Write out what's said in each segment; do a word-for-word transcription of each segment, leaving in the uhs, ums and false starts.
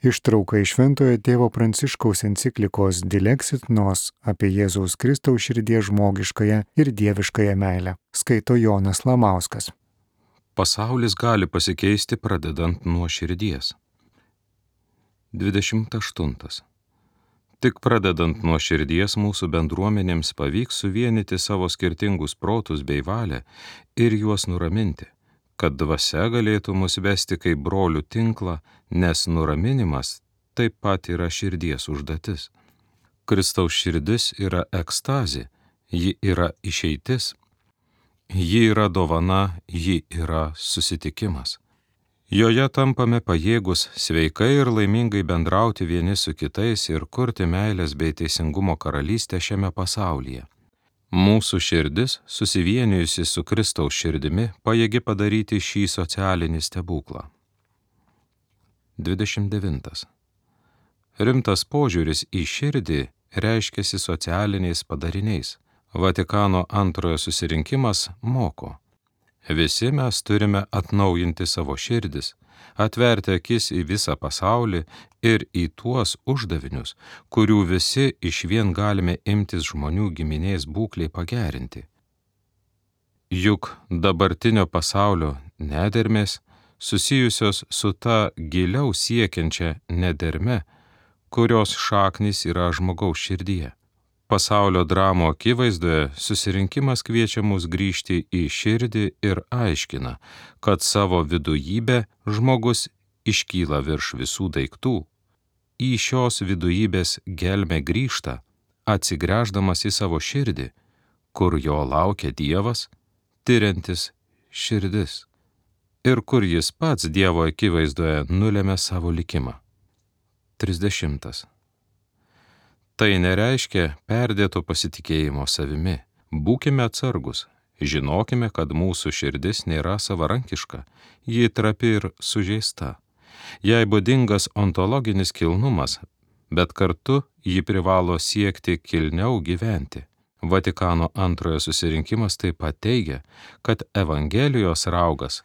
Ištrauka iš Šventojo tėvo Pranciškaus enciklikos Dilexit Nos apie Jėzaus Kristaus širdies žmogiškąją ir dieviškąją meilę. Skaito Jonas Lamauskas. Pasaulis gali pasikeisti pradedant nuo širdies. dvidešimt aštuntas. Tik pradedant nuo širdies mūsų bendruomenėms pavyks suvienyti savo skirtingus protus bei valią ir juos nuraminti, kad dvasia galėtų mus vesti kaip brolių tinklą, nes nuraminimas taip pat yra širdies užduotis. Kristaus širdis yra ekstazė, ji yra išeitis, ji yra dovana, ji yra susitikimas. Joje tampame pajėgus sveikai ir laimingai bendrauti vieni su kitais ir kurti meilės bei teisingumo karalystę šiame pasaulyje. Mūsų širdis, susivienijusi su Kristaus širdimi, pajėgi padaryti šį socialinį stebuklą. dvidešimt devintas. Rimtas požiūris į širdį reiškiasi socialiniais padariniais. Vatikano antrojo susirinkimas moko. Visi mes turime atnaujinti savo širdis, atverti akis į visą pasaulį ir į tuos uždavinius, kurių visi išvien galime imtis žmonių giminės būklei pagerinti. Juk dabartinio pasaulio nedermės susijusios su ta giliau siekiančia nederme, kurios šaknys yra žmogaus širdyje. Pasaulio dramo akivaizdoje susirinkimas kviečia mus grįžti į širdį ir aiškina, kad savo vidujybę žmogus iškyla virš visų daiktų. Į šios vidujybės gelmę grįžta, atsigręždamas į savo širdį, kur jo laukia Dievas, tiriantis širdis, ir kur jis pats Dievo akivaizdoje nulėmė savo likimą. trisdešimtas. Tai nereiškia perdėto pasitikėjimo savimi. Būkime atsargus, žinokime, kad mūsų širdis nėra savarankiška, ji trapi ir sužeista. Jai būdingas ontologinis kilnumas, bet kartu ji privalo siekti kilniau gyventi. Vatikano antrojo susirinkimas taip pat teigia, kad Evangelijos raugas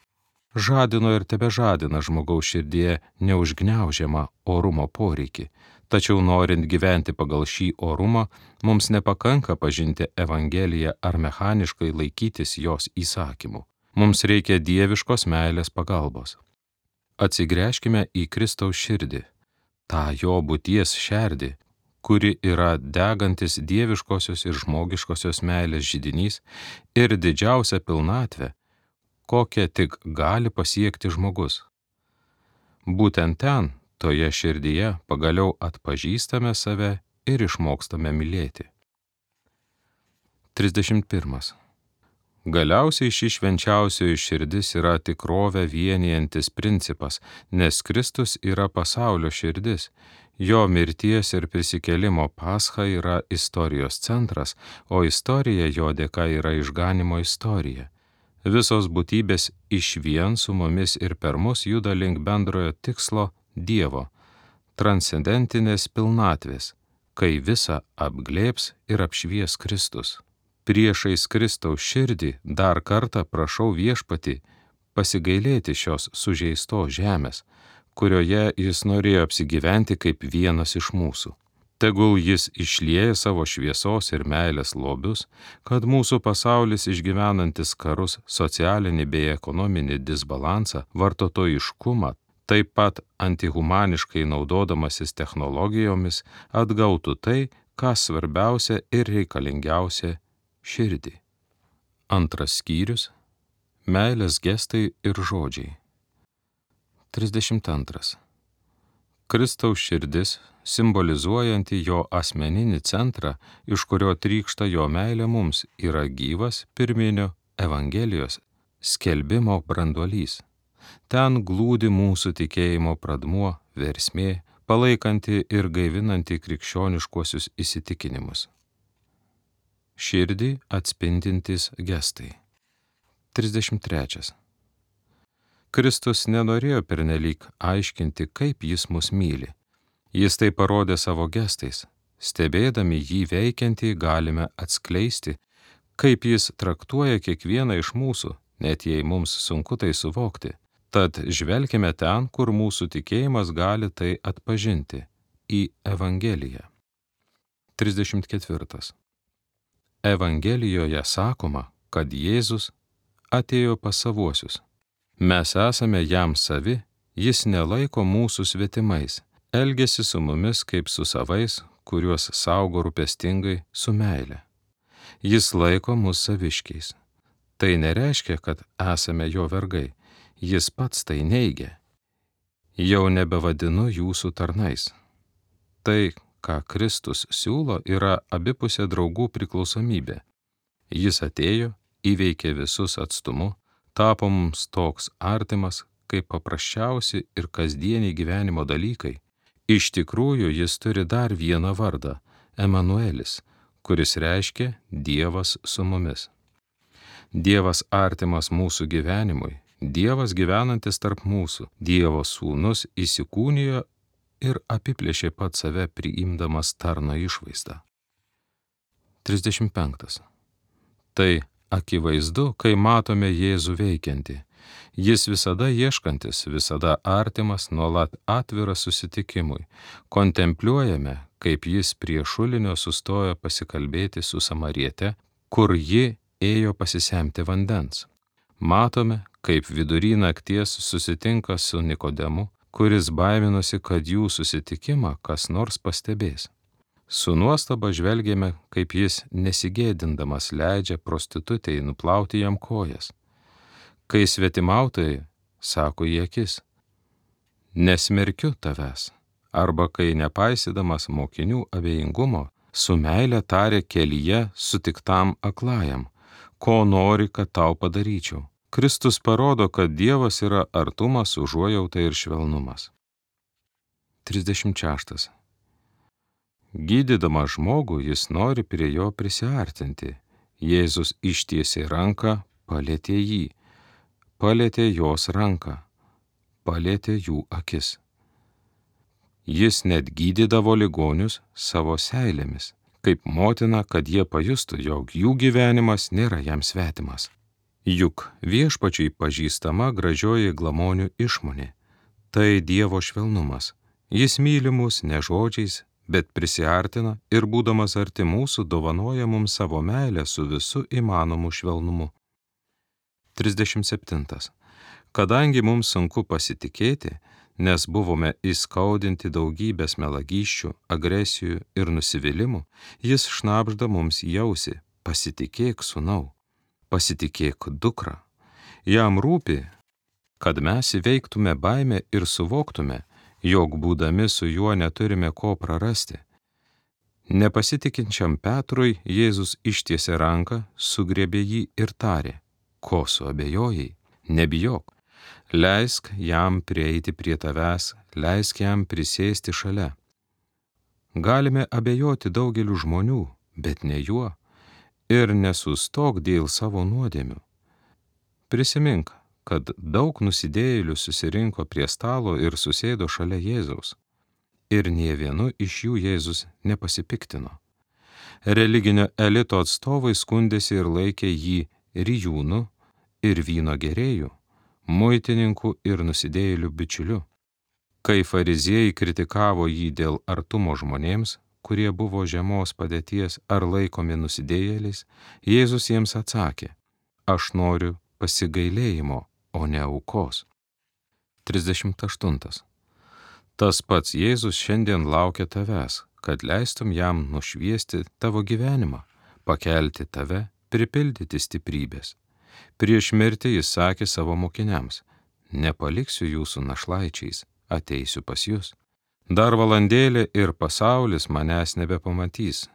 žadino ir tebežadina žmogaus širdyje neužgniaužiamą orumo poreikį. Tačiau norint gyventi pagal šį orumą, mums nepakanka pažinti Evangeliją ar mechaniškai laikytis jos įsakymų. Mums reikia dieviškos meilės pagalbos. Atsigręžkime į Kristaus širdį, tą jo būties šerdį, kuri yra degantis dieviškosios ir žmogiškosios meilės židinys ir didžiausia pilnatvė, kokią tik gali pasiekti žmogus. Būtent ten, toje širdyje, pagaliau atpažįstame save ir išmokstame mylėti. trisdešimt pirmas. Galiausiai ši švenčiausioji širdis yra tikrovę vienijantis principas, nes Kristus yra pasaulio širdis. Jo mirties ir prisikėlimo pascha yra istorijos centras, o istorija jo dėka yra išganimo istorija. Visos būtybės išvien su mumis ir per mus juda link bendrojo tikslo Dievo, transcendentinės pilnatvės, kai visą apglėbs ir apšvies Kristus. Priešais Kristaus širdį dar kartą prašau Viešpatį pasigailėti šios sužeistos žemės, kurioje jis norėjo apsigyventi kaip vienas iš mūsų. Tegul jis išlieja savo šviesos ir meilės lobius, kad mūsų pasaulis išgyvenantis karus, socialinį bei ekonominį disbalansą, vartotojiškumą, taip pat antihumaniškai naudodamasis technologijomis, atgautų tai, kas svarbiausia ir reikalingiausia - širdį. Antras skyrius - meilės gestai ir žodžiai. trisdešimt antras. Kristaus širdis, simbolizuojanti jo asmeninį centrą, iš kurio trykšta jo meilė mums, yra gyvas pirminio Evangelijos skelbimo branduolys. Ten glūdi mūsų tikėjimo pradmuo, versmė, palaikanti ir gaivinanti krikščioniškuosius įsitikinimus. Širdį atspindintys gestai. trisdešimt trečias. Kristus nenorėjo pernelyg aiškinti, kaip jis mus myli. Jis tai parodė savo gestais. Stebėdami jį veikiantį galime atskleisti, kaip jis traktuoja kiekvieną iš mūsų, net jei mums sunku tai suvokti. Tad žvelkime ten, kur mūsų tikėjimas gali tai atpažinti – į Evangeliją. trisdešimt ketvirtas. Evangelijoje sakoma, kad Jėzus atėjo pas savuosius. Mes esame jam savi, jis nelaiko mūsų svetimais, elgiasi su mumis kaip su savais, kuriuos saugo rūpestingai su meile. Jis laiko mus saviškiais. Tai nereiškia, kad esame jo vergai, jis pats tai neigia. Jau nebevadinu jūsų tarnais. Tai, ką Kristus siūlo, yra abipusė draugų priklausomybė. Jis atėjo, įveikė visus atstumu, tapo mums toks artimas, kaip paprasčiausi ir kasdieniai gyvenimo dalykai. Iš tikrųjų, jis turi dar vieną vardą – Emanuelis, kuris reiškia Dievas su mumis. Dievas artimas mūsų gyvenimui, Dievas gyvenantis tarp mūsų, Dievo sūnus įsikūnijo ir apiplėšė pat save priimdamas tarno išvaizdą. trisdešimt penktas. Tai akivaizdu, kai matome Jėzų veikiantį. Jis visada ieškantis, visada artimas, nuolat atviras susitikimui. Kontempliuojame, kaip jis prie šulinio sustojo pasikalbėti su samariete, kur ji ėjo pasisemti vandens. Matome, kaip vidury nakties susitinka su Nikodemu, kuris baiminosi, kad jų susitikimą kas nors pastebės. Su nuostaba žvelgėme, kaip jis nesigėdindamas leidžia prostitutei nuplauti jam kojas. Kai svetimautojai, sako į akis, nesmerkiu tavęs, arba kai nepaisydamas mokinių abejingumo, su meile tarė kelyje sutiktam aklajam, ko nori, kad tau padaryčiau. Kristus parodo, kad Dievas yra artumas, užuojauta ir švelnumas. trisdešimt šeštas. Gydydamas žmogų, jis nori prie jo prisiartinti. Jėzus ištiesė ranką, palietė jį. Palietė jos ranką, palietė jų akis. Jis net gydydavo ligonius savo seilėmis, kaip motina, kad jie pajustų, jog jų gyvenimas nėra jam svetimas. Juk viešpačiui pažįstama gražioji glamonių išmonė. Tai Dievo švelnumas. Jis myli mus ne žodžiais, bet prisiartina ir būdamas arti mūsų dovanoja mums savo meilę su visu įmanomu švelnumu. trisdešimt septintas. Kadangi mums sunku pasitikėti, nes buvome įskaudinti daugybės melagysčių, agresijų ir nusivylimų, jis šnabžda mums į ausį: pasitikėk sūnau, pasitikėk dukra. Jam rūpi, kad mes įveiktume baimę ir suvoktume, jog būdami su juo neturime ko prarasti. Nepasitikinčiam Petrui Jėzus ištiesė ranką, sugriebė jį ir tarė: ko suabejojai, nebijok, leisk jam prieiti prie tavęs, leisk jam prisėsti šalia. Galime abejoti daugeliu žmonių, bet ne juo, ir nesustok dėl savo nuodėmių. Prisimink, kad daug nusidėjėlių susirinko prie stalo ir susėdo šalia Jėzaus, ir nė vienu iš jų Jėzus nepasipiktino. Religinio elito atstovai skundėsi ir laikė jį rijūnu ir vyno gerėjų, muitininkų ir nusidėjėlių bičiuliu. Kai fariziejai kritikavo jį dėl artumo žmonėms, kurie buvo žemos padėties ar laikomi nusidėjėliais, Jėzus jiems atsakė: aš noriu pasigailėjimo, o ne aukos. trisdešimt aštuntas. Tas pats Jėzus šiandien laukia tavęs, kad leistum jam nušviesti tavo gyvenimą, pakelti tave, pripildyti stiprybės. Prieš mirtį jis sakė savo mokiniams: nepaliksiu jūsų našlaičiais, ateisiu pas jūs. Dar valandėlė ir pasaulis manęs nebepamatys,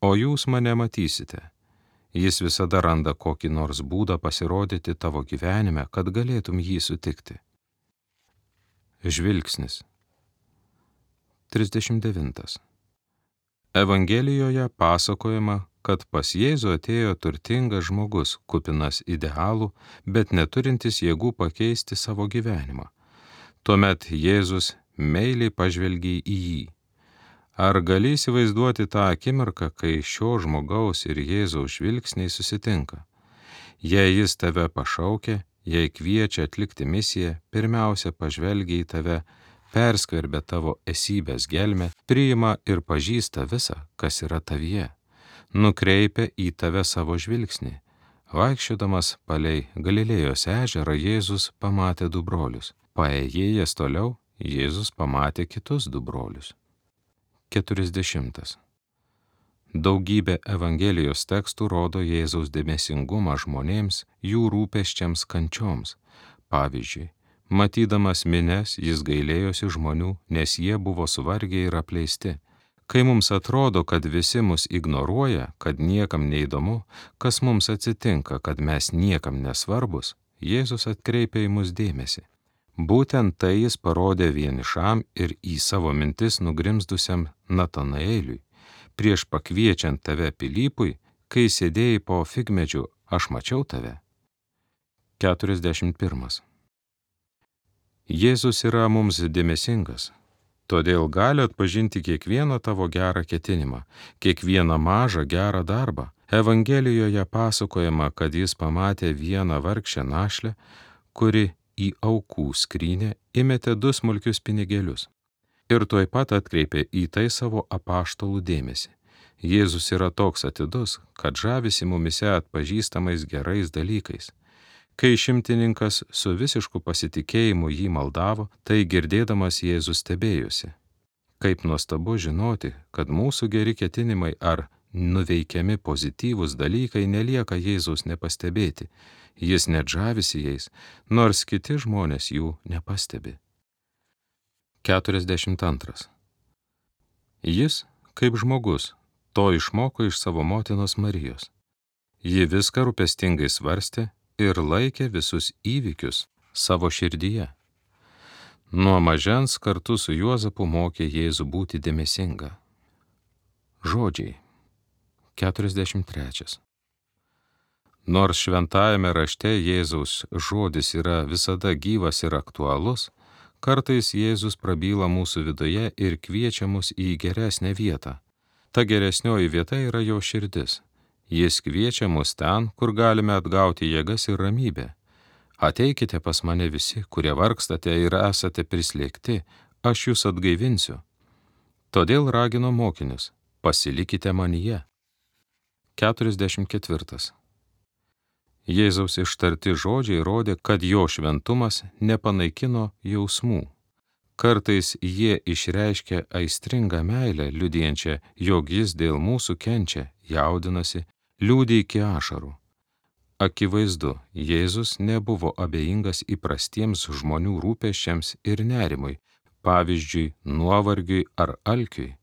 o jūs mane matysite. Jis visada randa kokį nors būdą pasirodyti tavo gyvenime, kad galėtum jį sutikti. Žvilgsnis. trisdešimt devintas. Evangelijoje pasakojama, kad pas Jėzų atėjo turtingas žmogus, kupinas idealų, bet neturintis jėgų pakeisti savo gyvenimą. Tuomet Jėzus meiliai pažvelgė į jį. Ar gali įsivaizduoti tą akimirką, kai šio žmogaus ir Jėzaus žvilgsniai susitinka? Jei jis tave pašaukia, jei kviečia atlikti misiją, pirmiausia pažvelgia į tave, perskverbia tavo esybės gelmę, priima ir pažįsta visą, kas yra tavyje, nukreipia į tave savo žvilgsnį. Vaikščiodamas palei Galilėjos ežerą Jėzus pamatė du brolius. Paėjėjęs toliau, Jėzus pamatė kitus du brolius. keturiasdešimtas. Daugybė Evangelijos tekstų rodo Jėzaus dėmesingumą žmonėms, jų rūpesčiams, kančioms. Pavyzdžiui, matydamas mines, jis gailėjosi žmonių, nes jie buvo suvargę ir apleisti. Kai mums atrodo, kad visi mus ignoruoja, kad niekam neįdomu, kas mums atsitinka, kad mes niekam nesvarbus, Jėzus atkreipia į mus dėmesį. Būtent tai jis parodė vienišam ir į savo mintis nugrimzdusiam Natanaeliui. Prieš pakviečiant tave Pilypui, kai sėdėjai po figmedžiu, aš mačiau tave. keturiasdešimt pirmas. Jėzus yra mums dėmesingas, todėl gali atpažinti kiekvieną tavo gerą ketinimą, kiekvieną mažą gerą darbą. Evangelijoje pasakojama, kad jis pamatė vieną vargšę našlę, kuri į aukų skrynę įmetė du smulkius pinigėlius. Ir tuoj pat atkreipė į tai savo apaštalų dėmesį. Jėzus yra toks atidus, kad žavisi mumise atpažįstamais gerais dalykais. Kai šimtininkas su visišku pasitikėjimu jį maldavo, tai girdėdamas Jėzus stebėjosi. Kaip nuostabu žinoti, kad mūsų geri ketinimai ar nuveikiami pozityvūs dalykai nelieka Jėzaus nepastebėti. Jis net žavisi jais, nors kiti žmonės jų nepastebi. keturiasdešimt antras. Jis, kaip žmogus, to išmoko iš savo motinos Marijos. Ji viską rūpestingai svarstė ir laikė visus įvykius savo širdyje. Nuo mažens kartu su Juozapu mokė Jėzų būti dėmesinga. Žodžiai. keturiasdešimt trečias. Nors šventajame rašte Jėzaus žodis yra visada gyvas ir aktualus, kartais Jėzus prabyla mūsų viduje ir kviečia mus į geresnę vietą. Ta geresnioji vieta yra jo širdis. Jis kviečia mus ten, kur galime atgauti jėgas ir ramybę. Ateikite pas mane visi, kurie vargstate ir esate prislėgti, aš jūs atgaivinsiu. Todėl ragino mokinius, pasilikite manyje. keturiasdešimt ketvirtas. Jėzaus ištarti žodžiai rodė, kad jo šventumas nepanaikino jausmų. Kartais jie išreiškia aistringą meilę, liudijančią, jog jis dėl mūsų kenčia, jaudinasi, liūdi iki ašarų. Akivaizdu, Jėzus nebuvo abejingas įprastiems žmonių rūpesčiams ir nerimui, pavyzdžiui, nuovargiui ar alkiui.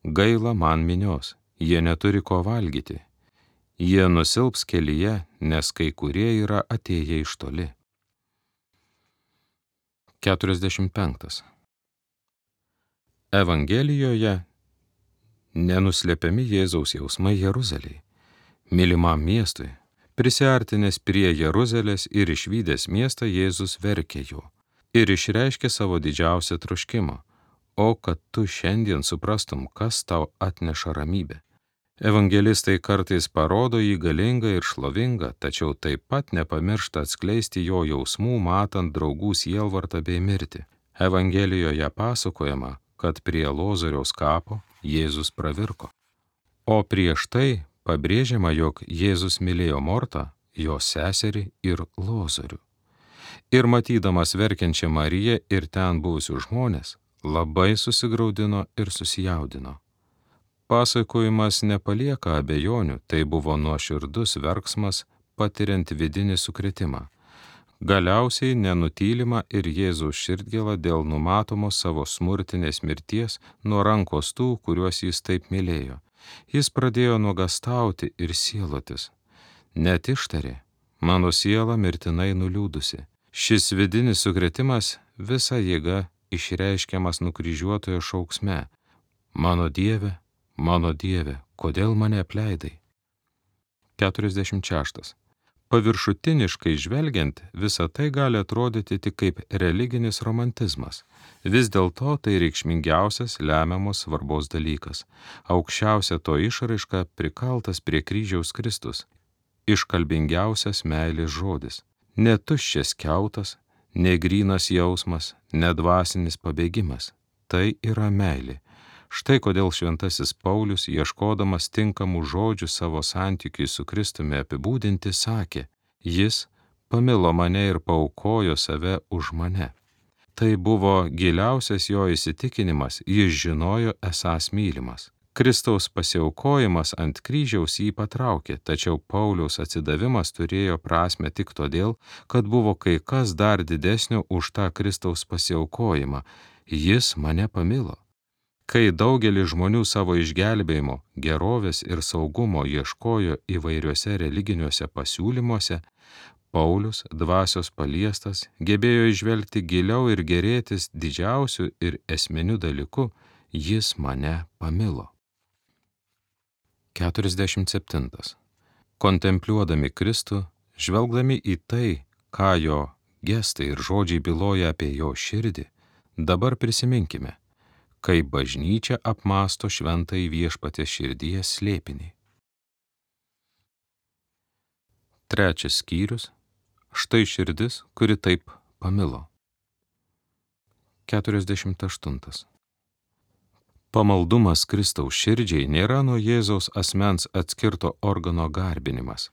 Gaila man minios, jie neturi ko valgyti. Jie nusilps kelyje, nes kai kurie yra atėję iš toli. keturiasdešimt penktas. Evangelijoje nenuslepiami Jėzaus jausmai Jeruzalei, mylimam miestui. Prisiartinęs prie Jeruzalės ir išvydęs miestą, Jėzus verkė jo ir išreiškė savo didžiausią troškimą, o kad tu šiandien suprastum, kas tau atneša ramybę. Evangelistai kartais parodo jį galingą ir šlovingą, tačiau taip pat nepamiršta atskleisti jo jausmų, matant draugų sielvartą bei mirtį. Evangelijoje pasakojama, kad prie Lozoriaus kapo Jėzus pravirko. O prieš tai pabrėžiama, jog Jėzus mylėjo Mortą, jo seserį ir Lozorių. Ir matydamas verkiančią Mariją ir ten buvusius žmonės, labai susigraudino ir susijaudino. Pasakojimas nepalieka abejonių, tai buvo nuoširdus verksmas, patiriant vidinį sukrėtimą. Galiausiai nenutylima ir Jėzaus širdgėla dėl numatomos savo smurtinės mirties nuo rankos tų, kuriuos jis taip mylėjo. Jis pradėjo nuogastauti ir sielotis. Net ištarė, mano siela mirtinai nuliūdusi. Šis vidinis sukrėtimas visa jėga išreiškiamas nukryžiuotojo šauksme. Mano Dieve, mano Dieve, kodėl mane apleidai? keturiasdešimt šeštas. Paviršutiniškai žvelgiant, visa tai gali atrodyti tik kaip religinis romantizmas. Vis dėlto tai reikšmingiausias lemiamos svarbos dalykas. Aukščiausia to išraiška prikaltas prie kryžiaus Kristus. Iškalbingiausias meilės žodis. Netuščias kiautas, negrynas jausmas, nedvasinis pabėgimas. Tai yra meilė. Štai kodėl šventasis Paulius, ieškodamas tinkamų žodžių savo santykiui su Kristumi apibūdinti, sakė, jis pamilo mane ir paaukojo save už mane. Tai buvo giliausias jo įsitikinimas, jis žinojo esąs mylimas. Kristaus pasiaukojimas ant kryžiaus jį patraukė, tačiau Pauliaus atsidavimas turėjo prasme tik todėl, kad buvo kai kas dar didesnio už tą Kristaus pasiaukojimą. Jis mane pamilo. Kai daugelis žmonių savo išgelbėjimo, gerovės ir saugumo ieškojo įvairiuose religiniuose pasiūlymuose, Paulius, dvasios paliestas, gebėjo įžvelgti giliau ir gėrėtis didžiausiu ir esminiu dalyku, jis mane pamilo. keturiasdešimt septintas. Kontempliuodami Kristų, žvelgdami į tai, ką jo gestai ir žodžiai byloja apie jo širdį, dabar prisiminkime, kaip bažnyčia apmąsto šventąjį Viešpaties širdies slėpinį. Trečias skyrius. Štai širdis, kuri taip pamilo. keturiasdešimt aštuntas. Pamaldumas Kristaus širdžiai nėra nuo Jėzaus asmens atskirto organo garbinimas.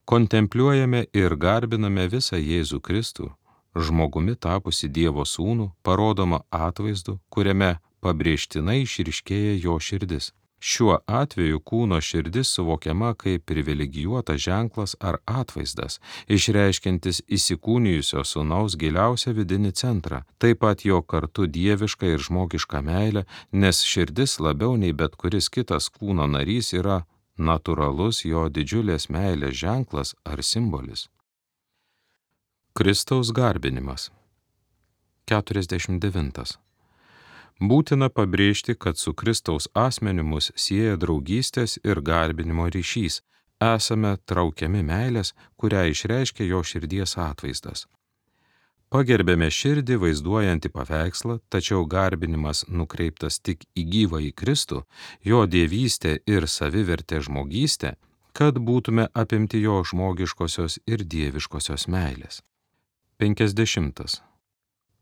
Kontempliuojame ir garbiname visą Jėzų Kristų, žmogumi tapusi Dievo sūnų, parodoma atvaizdu, kuriame pabrėžtinai išryškėja jo širdis. Šiuo atveju kūno širdis suvokiama kaip privilegijuotas ženklas ar atvaizdas, išreiškiantis įsikūnijusio sūnaus giliausią vidinį centrą, taip pat jo kartu dievišką ir žmogišką meilę, nes širdis labiau nei bet kuris kitas kūno narys yra natūralus jo didžiulės meilės ženklas ar simbolis. Kristaus garbinimas. keturiasdešimt devintas. Būtina pabrėžti, kad su Kristaus asmeniu mus sieja draugystės ir garbinimo ryšys, esame traukiami meilės, kurią išreiškia jo širdies atvaizdas. Pagerbėme širdį vaizduojantį paveikslą, tačiau garbinimas nukreiptas tik į gyvąjį Kristų, jo dievystę ir savivertę žmogystę, kad būtume apimti jo žmogiškosios ir dieviškosios meilės. penkisdešimtas.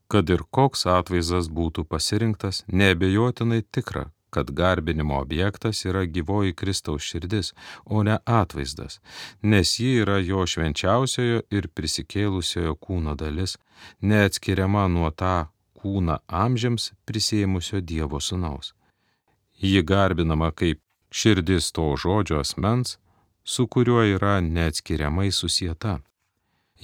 Kad ir koks atvaizdas būtų pasirinktas, neabejotinai tikra, kad garbinimo objektas yra gyvoji Kristaus širdis, o ne atvaizdas, nes ji yra jo švenčiausiojo ir prisikėlusiojo kūno dalis, neatskiriama nuo tą kūną amžiams prisėmusio Dievo sūnaus. Ji garbinama kaip širdis to žodžio asmens, su kuriuo yra neatskiriamai susieta.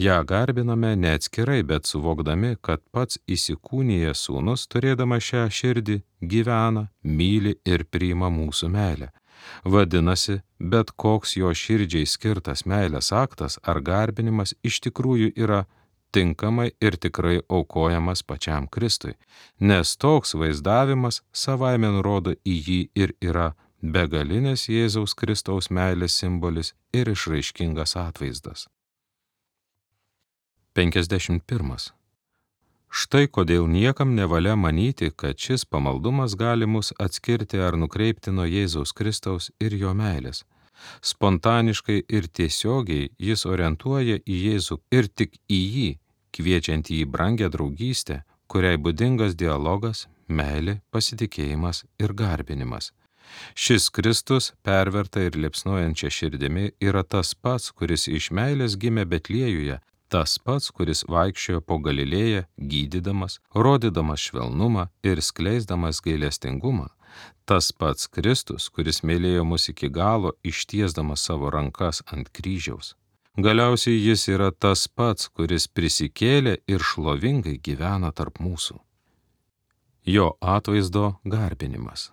Ja garbiname neatskirai, bet suvokdami, kad pats įsikūnijęs sūnus, turėdama šią širdį, gyvena, myli ir priima mūsų meilę. Vadinasi, bet koks jo širdžiai skirtas meilės aktas ar garbinimas iš tikrųjų yra tinkamai ir tikrai aukojamas pačiam Kristui, nes toks vaizdavimas savaime nurodo į jį ir yra begalinės Jėzaus Kristaus meilės simbolis ir išraiškingas atvaizdas. penkisdešimt pirmas. Štai kodėl niekam nevalia manyti, kad šis pamaldumas gali mus atskirti ar nukreipti nuo Jėzaus Kristaus ir jo meilės. Spontaniškai ir tiesiogiai jis orientuoja į Jėzų ir tik į jį, kviečiant jį brangę draugystę, kuriai būdingas dialogas, meilė, pasitikėjimas ir garbinimas. Šis Kristus, perverta ir liepsnojančia širdimi, yra tas pats, kuris iš meilės gimė Betliejuje, tas pats, kuris vaikščiojo po Galilėją, gydydamas, rodydamas švelnumą ir skleisdamas gailestingumą, tas pats Kristus, kuris mylėjo mus iki galo, ištiesdamas savo rankas ant kryžiaus. Galiausiai jis yra tas pats, kuris prisikėlė ir šlovingai gyvena tarp mūsų. Jo atvaizdo garbinimas.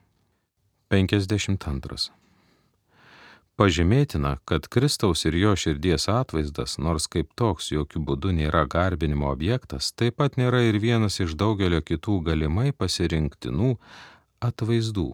penkisdešimt antras. Pažymėtina, kad Kristaus ir jo širdies atvaizdas, nors kaip toks jokių būdų nėra garbinimo objektas, taip pat nėra ir vienas iš daugelio kitų galimai pasirinktinų atvaizdų.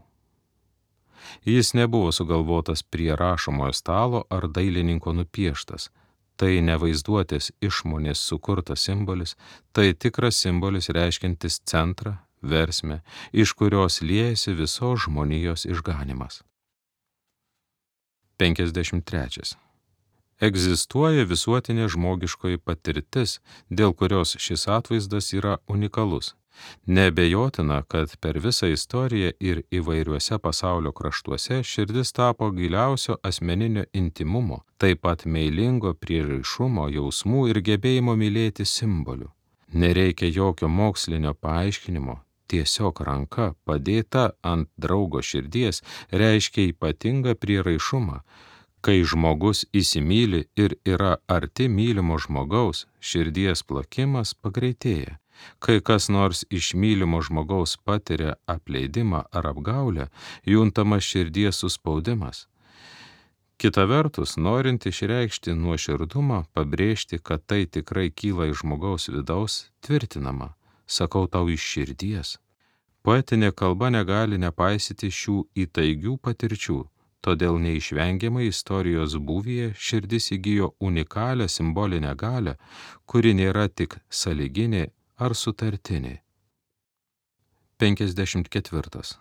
Jis nebuvo sugalvotas prie rašomojo stalo ar dailininko nupieštas. Tai ne vaizduotės išmonės sukurtas simbolis, tai tikras simbolis reiškiantis centrą, versmę, iš kurios liejasi visos žmonijos išganymas. penkisdešimt trečias. Egzistuoja visuotinė žmogiškoji patirtis, dėl kurios šis atvaizdas yra unikalus. Neabejotina, kad per visą istoriją ir įvairiuose pasaulio kraštuose širdis tapo giliausio asmeninio intimumo, taip pat meilingo prieraišumo, jausmų ir gebėjimo mylėti simbolių. Nereikia jokio mokslinio paaiškinimo, tiesiog ranka padėta ant draugo širdies reiškia ypatingą prieraišumą. Kai žmogus įsimyli ir yra arti mylimo žmogaus, širdies plakimas pagreitėja. Kai kas nors iš mylimo žmogaus patiria apleidimą ar apgaulę, juntamas širdies suspaudimas. Kita vertus, norint išreikšti nuoširdumą, pabrėžti, kad tai tikrai kyla iš žmogaus vidaus, tvirtinama, sakau tau iš širdies. Poetinė kalba negali nepaisyti šių įtaigių patirčių, todėl neišvengiamai istorijos būvyje širdis įgijo unikalią simbolinę galią, kuri nėra tik sąlyginė ar sutartinė. penkiasdešimt ketvirtas.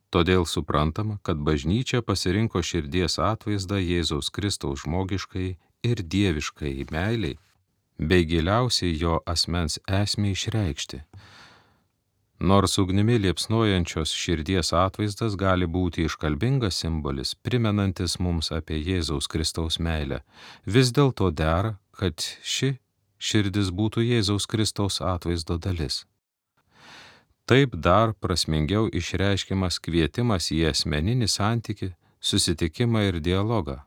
Todėl suprantama, kad bažnyčia pasirinko širdies atvaizdą Jėzaus Kristaus žmogiškai ir dieviškai meiliai, bei giliausiai jo asmens esmei išreikšti. Nors ugnimi liepsnojančios širdies atvaizdas gali būti iškalbingas simbolis, primenantis mums apie Jėzaus Kristaus meilę, vis dėlto dera, kad ši širdis būtų Jėzaus Kristaus atvaizdo dalis. Taip dar prasmingiau išreiškiamas kvietimas į asmeninį santykį, susitikimą ir dialogą.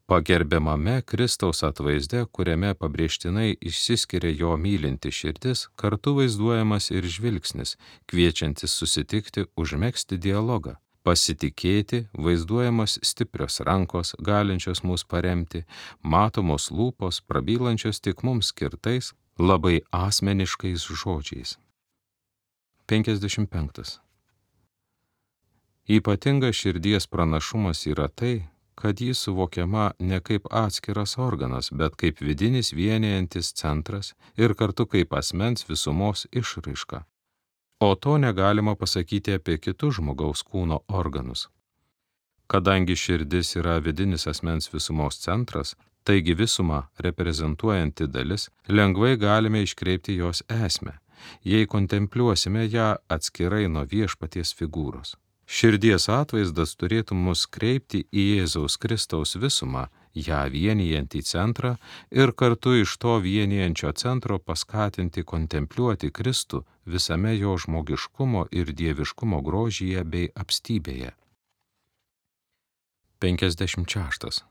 Pagerbiamame Kristaus atvaizde, kuriame pabrėžtinai išsiskiria jo mylinti širdis, kartu vaizduojamas ir žvilgsnis, kviečiantis susitikti, užmegzti dialogą. Pasitikėti, vaizduojamas stiprios rankos, galinčios mus paremti, matomos lūpos, prabylančios tik mums skirtais, labai asmeniškais žodžiais. penkiasdešimt penktas. Ypatingas širdies pranašumas yra tai, kad ji suvokiama ne kaip atskiras organas, bet kaip vidinis vienijantis centras ir kartu kaip asmens visumos išraiška. O to negalima pasakyti apie kitus žmogaus kūno organus. Kadangi širdis yra vidinis asmens visumos centras, taigi visumą reprezentuojanti dalis, lengvai galime iškreipti jos esmę, jei kontempliuosime ją atskirai nuo viešpaties figūros. Širdies atvaizdas turėtų mus kreipti į Jėzaus Kristaus visumą, ją vienijantį centrą ir kartu iš to vienijančio centro paskatinti kontempliuoti Kristų visame jo žmogiškumo ir dieviškumo grožyje bei apstybėje. penkiasdešimt šeštas.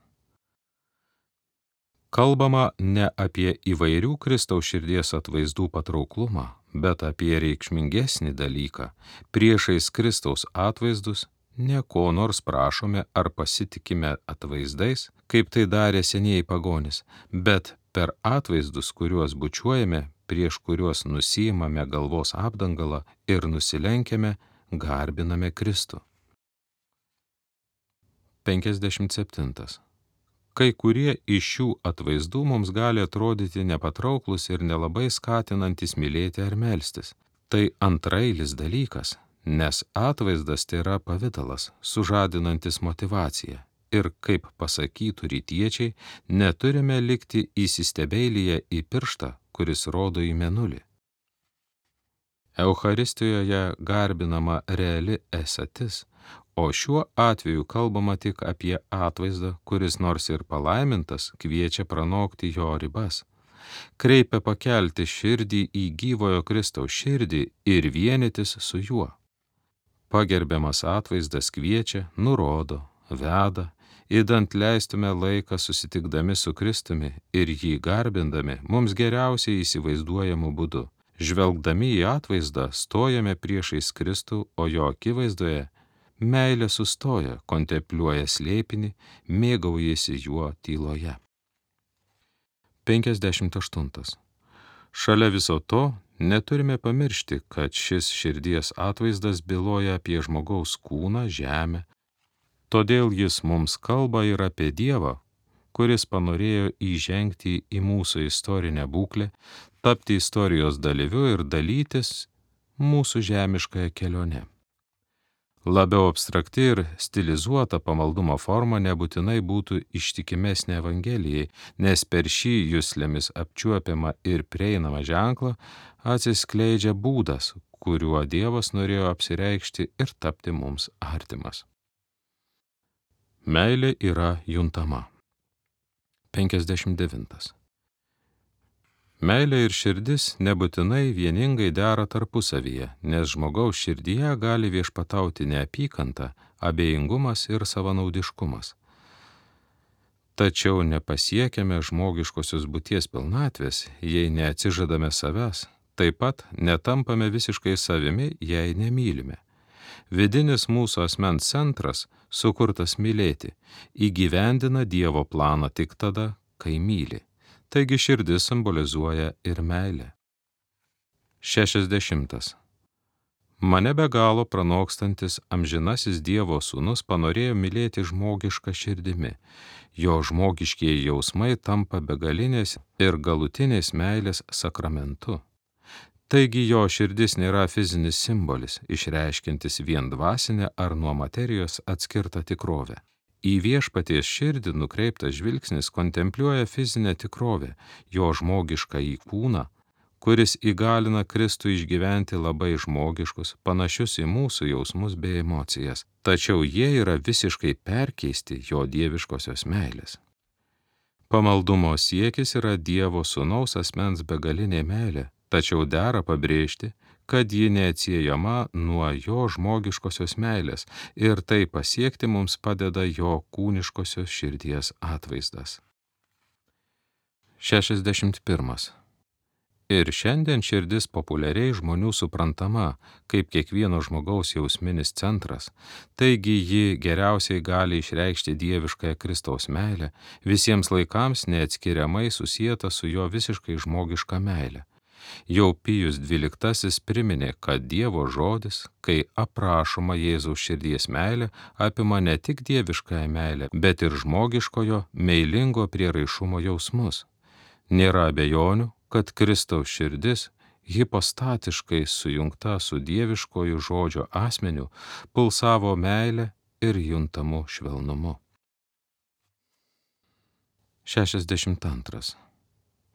Kalbama ne apie įvairių Kristaus širdies atvaizdų patrauklumą, bet apie reikšmingesnį dalyką. Priešais Kristaus atvaizdus ne ko nors prašome ar pasitikime atvaizdais, kaip tai darė senieji pagonys, bet per atvaizdus, kuriuos bučiuojame, prieš kuriuos nusiimame galvos apdangalą ir nusilenkiame, garbiname Kristų. penkiasdešimt septintas. Kai kurie iš šių atvaizdų mums gali atrodyti nepatrauklus ir nelabai skatinantis mylėti ar melstis. Tai antrailis dalykas, nes atvaizdas tai yra pavidalas, sužadinantis motyvaciją. Ir kaip pasakytų rytiečiai, neturime likti įsistebeilyje į pirštą, kuris rodo į mėnulį. Eucharistijoje garbinama reali esatis, o šiuo atveju kalbama tik apie atvaizdą, kuris nors ir palaimintas, kviečia pranokti jo ribas. Kreipia pakelti širdį į gyvojo Kristaus širdį ir vienytis su juo. Pagerbiamas atvaizdas kviečia, nurodo, veda, idant leistume laiką susitikdami su Kristumi ir jį garbindami mums geriausiai įsivaizduojamu būdu. Žvelgdami į atvaizdą stojame priešais Kristų, o jo akivaizdoje meilė sustoja, kontempliuoja slėpinį, mėgaujasi juo tyloje. penkiasdešimt aštuntas. Šalia viso to neturime pamiršti, kad šis širdies atvaizdas byloja apie žmogaus kūną, žemę. Todėl jis mums kalba ir apie Dievą, kuris panorėjo įžengti į mūsų istorinę būklę, tapti istorijos dalyviu ir dalytis mūsų žemiškąją kelionę. Labiau abstrakti ir stilizuota pamaldumo forma nebūtinai būtų ištikimesnė Evangelijai, nes per šį juslėmis apčiuopiamą ir prieinamą ženklą atsiskleidžia būdas, kuriuo Dievas norėjo apsireikšti ir tapti mums artimas. Meilė yra juntama. penkiasdešimt devintas. Meilė ir širdis nebūtinai vieningai dera tarpusavyje, nes žmogaus širdyje gali viešpatauti neapykanta, abejingumas ir savanaudiškumas. Tačiau nepasiekiame žmogiškosios būties pilnatvės, jei neatsižadame savęs, taip pat netampame visiškai savimi, jei nemylime. Vidinis mūsų asmens centras, sukurtas mylėti, įgyvendina Dievo planą tik tada, kai myli. Taigi širdis simbolizuoja ir meilę. šešiasdešimtas. Mane be galo pranokstantis amžinasis Dievo sūnus panorėjo mylėti žmogišką širdimi. Jo žmogiškieji jausmai tampa begalinės ir galutinės meilės sakramentu. Taigi jo širdis nėra fizinis simbolis, išreiškiantis vien dvasinę ar nuo materijos atskirtą tikrovę. Į viešpaties širdį nukreiptas žvilgsnis kontempliuoja fizinę tikrovę, jo žmogiškąjį kūną, kuris įgalina Kristų išgyventi labai žmogiškus, panašius į mūsų jausmus bei emocijas, tačiau jie yra visiškai perkeisti jo dieviškosios meilės. Pamaldumo siekis yra Dievo sūnaus asmens begalinė meilė, tačiau dera pabrėžti, kad ji neatsiejama nuo jo žmogiškosios meilės ir tai pasiekti mums padeda jo kūniškosios širdies atvaizdas. šešiasdešimt pirmas. Ir šiandien širdis populiariai žmonių suprantama kaip kiekvieno žmogaus jausminis centras, taigi ji geriausiai gali išreikšti dieviškąją Kristaus meilę, visiems laikams neatskiriamai susieta su jo visiškai žmogiška meilė. Jau Pijus dvyliktasis priminė, kad Dievo žodis, kai aprašoma Jėzaus širdies meilė, apima ne tik dieviškąją meilę, bet ir žmogiškojo, meilingo prieraišumo jausmus. Nėra abejonių, kad Kristaus širdis, hipostatiškai sujungta su dieviškoju žodžio asmeniu, pulsavo meilę ir juntamu švelnumu. šešiasdešimt antras.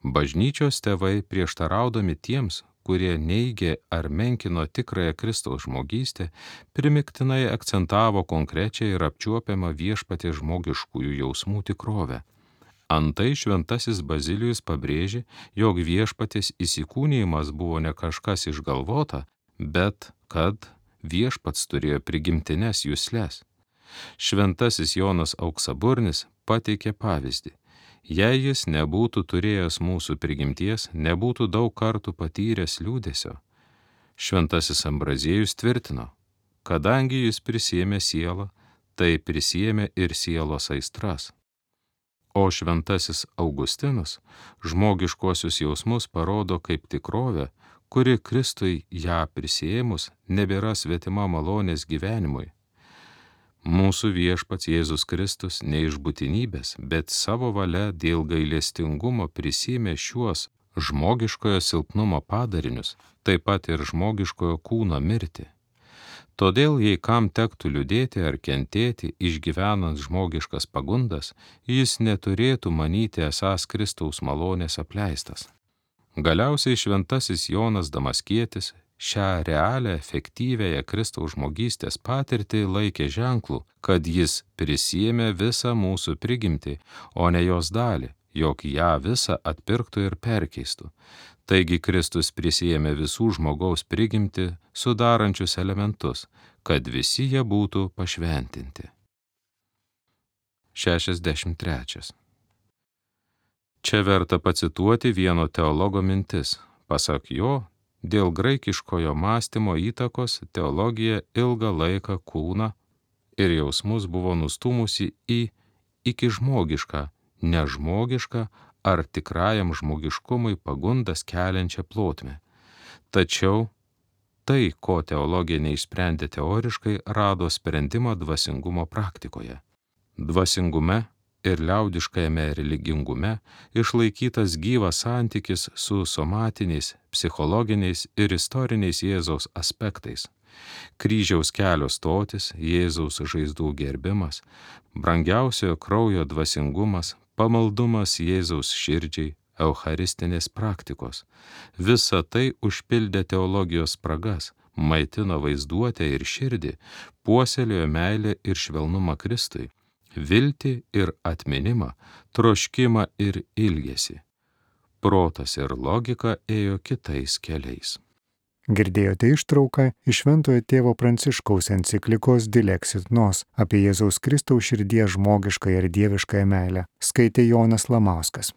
Bažnyčios tėvai prieštaraudami tiems, kurie neigė ar menkino tikrąją Kristaus žmogystę, primiktinai akcentavo konkrečią ir apčiuopiamą viešpaties žmogiškųjų jausmų tikrovę. Antai šventasis Bazilijus pabrėžė, jog viešpaties įsikūnijimas buvo ne kažkas išgalvota, bet kad viešpats turėjo prigimtines jusles. Šventasis Jonas Auksaburnis pateikė pavyzdį. Jei jis nebūtų turėjęs mūsų prigimties, nebūtų daug kartų patyręs liūdesio. Šventasis Ambraziejus tvirtino, kadangi jis prisiėmė sielą, tai prisiėmė ir sielos aistras. O šventasis Augustinas žmogiškuosius jausmus parodo kaip tikrovę, kuri Kristui ją prisiėmus nebėra svetima malonės gyvenimui. Mūsų viešpats Jėzus Kristus ne iš būtinybės, bet savo valia dėl gailestingumo prisiėmė šiuos žmogiškojo silpnumo padarinius, taip pat ir žmogiškojo kūno mirtį. Todėl, jei kam tektų liūdėti ar kentėti, išgyvenant žmogiškas pagundas, jis neturėtų manyti esąs Kristaus malonės apleistas. Galiausiai šventasis Jonas Damaskietis šią realią, efektyviąją Kristaus žmogystės patirtį laikė ženklų, kad jis prisiėmė visą mūsų prigimtį, o ne jos dalį, jog ją visą atpirktų ir perkeistų. Taigi Kristus prisiėmė visų žmogaus prigimtį sudarančius elementus, kad visi jie būtų pašventinti. šešiasdešimt trečias. Čia verta pacituoti vieno teologo mintis. Pasak jo, dėl graikiškojo mąstymo įtakos teologija ilgą laiką kūną ir jausmus buvo nustūmusi į iki žmogišką, nežmogišką ar tikrajam žmogiškumui pagundas keliančią plotmę. Tačiau tai, ko teologija neišsprendė teoriškai, rado sprendimą dvasingumo praktikoje. Dvasingume ir liaudiškajame religingume išlaikytas gyvas santykis su somatiniais, psichologiniais ir istoriniais Jėzaus aspektais. Kryžiaus kelio stotis, Jėzaus žaizdų gerbimas, brangiausiojo kraujo dvasingumas, pamaldumas Jėzaus širdžiai, eucharistinės praktikos. Visa tai užpildė teologijos spragas, maitino vaizduotę ir širdį, puoselėjo meilę ir švelnumą Kristui, viltį ir atminimą, troškimą ir ilgesį. Protas ir logika ėjo kitais keliais. Girdėjote ištrauką iš Šventojo tėvo Pranciškaus enciklikos Dilexit Nos apie Jėzaus Kristaus širdies žmogiškąją ir dieviškąją meilę. Skaitė Jonas Lamauskas.